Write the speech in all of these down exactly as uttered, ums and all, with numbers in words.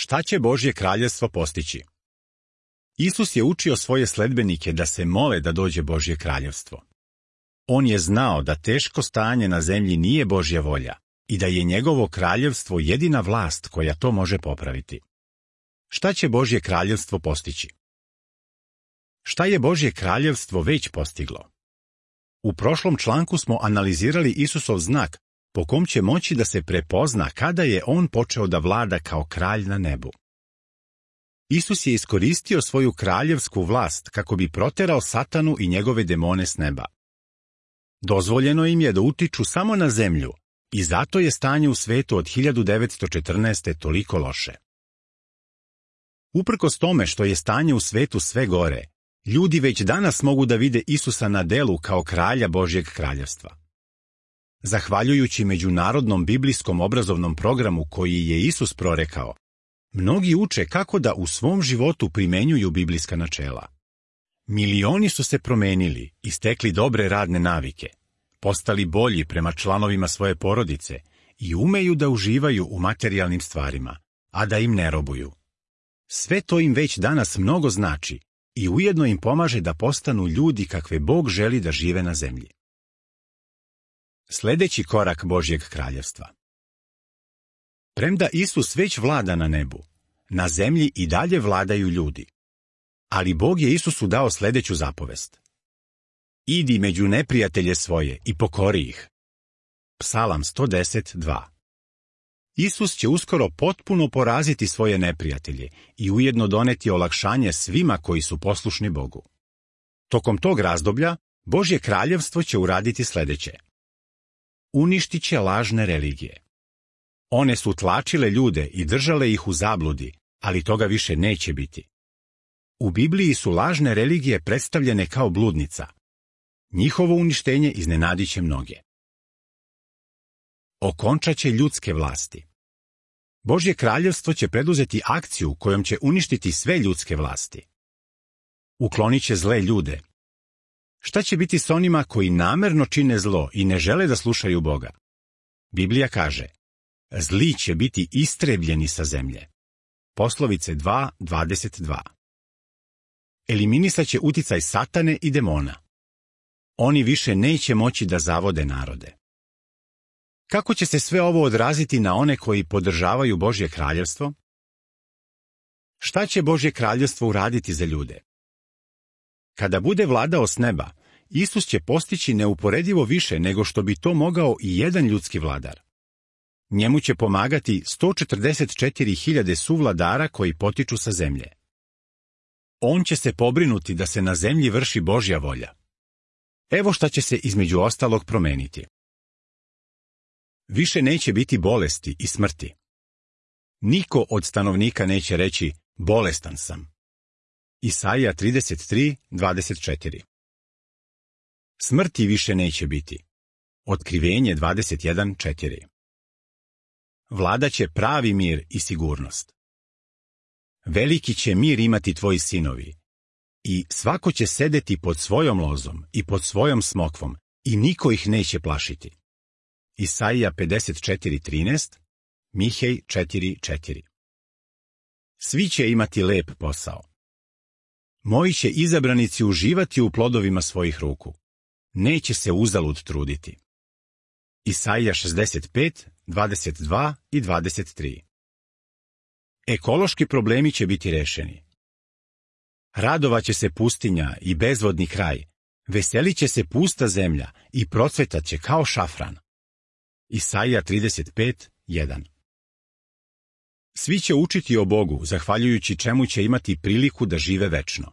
Šta će Božje kraljevstvo postići? Isus je učio svoje sledbenike da se mole da dođe Božje kraljevstvo. On je znao da teško stanje na zemlji nije Božja volja i da je njegovo kraljevstvo jedina vlast koja to može popraviti. Šta će Božje kraljevstvo postići? Šta je Božje kraljevstvo već postiglo? U prošlom članku smo analizirali Isusov znak po kom će moći da se prepozna kada je on počeo da vlada kao kralj na nebu. Isus je iskoristio svoju kraljevsku vlast kako bi proterao Satanu i njegove demone s neba. Dozvoljeno im je da utiču samo na zemlju i zato je stanje u svetu od hiljadu devetsto četrnaeste. toliko loše. Uprkos tome što je stanje u svetu sve gore, ljudi već danas mogu da vide Isusa na delu kao kralja Božjeg kraljevstva. Zahvaljujući međunarodnom biblijskom obrazovnom programu koji je Isus prorekao, mnogi uče kako da u svom životu primenjuju biblijska načela. Milioni su se promenili i stekli dobre radne navike, postali bolji prema članovima svoje porodice i umeju da uživaju u materijalnim stvarima, a da im ne robuju. Sve to im već danas mnogo znači i ujedno im pomaže da postanu ljudi kakve Bog želi da žive na zemlji. Sljedeći korak Božjeg kraljevstva. Premda Isus već vlada na nebu, na zemlji i dalje vladaju ljudi. Ali Bog je Isusu dao sljedeću zapovest. Idi među neprijatelje svoje i pokori ih. Psalam sto deset, dva. Isus će uskoro potpuno poraziti svoje neprijatelje i ujedno doneti olakšanje svima koji su poslušni Bogu. Tokom tog razdoblja Božje kraljevstvo će uraditi sljedeće. Uništit će lažne religije. One su tlačile ljude i držale ih u zabludi, ali toga više neće biti. U Bibliji su lažne religije predstavljene kao bludnica. Njihovo uništenje iznenadit će mnoge. Okončat će ljudske vlasti. Božje kraljevstvo će preduzeti akciju kojom će uništiti sve ljudske vlasti. Uklonit će zle ljude. Šta će biti s onima koji namerno čine zlo i ne žele da slušaju Boga? Biblija kaže, zli će biti istrebljeni sa zemlje. Poslovice dva, dvadeset dva. Eliminisat će uticaj Satane i demona. Oni više neće moći da zavode narode. Kako će se sve ovo odraziti na one koji podržavaju Božje kraljevstvo? Šta će Božje kraljevstvo uraditi za ljude? Kada bude vladao s neba, Isus će postići neuporedivo više nego što bi to mogao i jedan ljudski vladar. Njemu će pomagati sto četrdeset četiri hiljade suvladara koji potiču sa zemlje. On će se pobrinuti da se na zemlji vrši Božja volja. Evo šta će se između ostalog promeniti. Više neće biti bolesti i smrti. Niko od stanovnika neće reći, bolestan sam. Isaija trideset tri, dvadeset četiri. Smrti više neće biti. Otkrivenje dvadeset jedan, četiri. Vladaće pravi mir i sigurnost. Veliki će mir imati tvoji sinovi. I svako će sedeti pod svojom lozom i pod svojom smokvom i niko ih neće plašiti. Isaija pedeset četiri, trinaest, Mihej četiri, četiri. Svi će imati lep posao. Moji će izabranici uživati u plodovima svojih ruku. Neće se uzalud truditi. Isaija šezdeset pet, dvadeset dva i dvadeset tri. Ekološki problemi će biti rešeni. Radovaće se pustinja i bezvodni kraj, veselit će se pusta zemlja i procvetat će kao šafran. Isaija trideset pet, jedan. Svi će učiti o Bogu, zahvaljujući čemu će imati priliku da žive večno.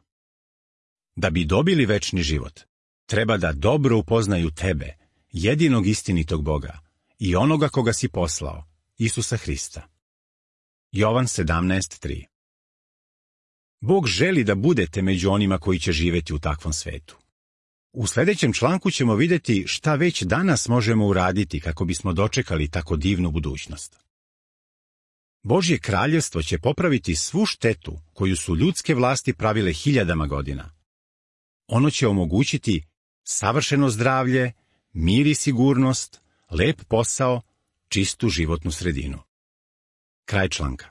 Da bi dobili večni život, treba da dobro upoznaju tebe, jedinog istinitog Boga, i onoga koga si poslao, Isusa Hrista. Jovan sedamnaest, tri. Bog želi da budete među onima koji će živjeti u takvom svetu. U sljedećem članku ćemo vidjeti šta već danas možemo uraditi kako bismo dočekali tako divnu budućnost. Božje kraljevstvo će popraviti svu štetu koju su ljudske vlasti pravile hiljadama godina. Ono će omogućiti savršeno zdravlje, mir i sigurnost, lep posao, čistu životnu sredinu. Kraj članka.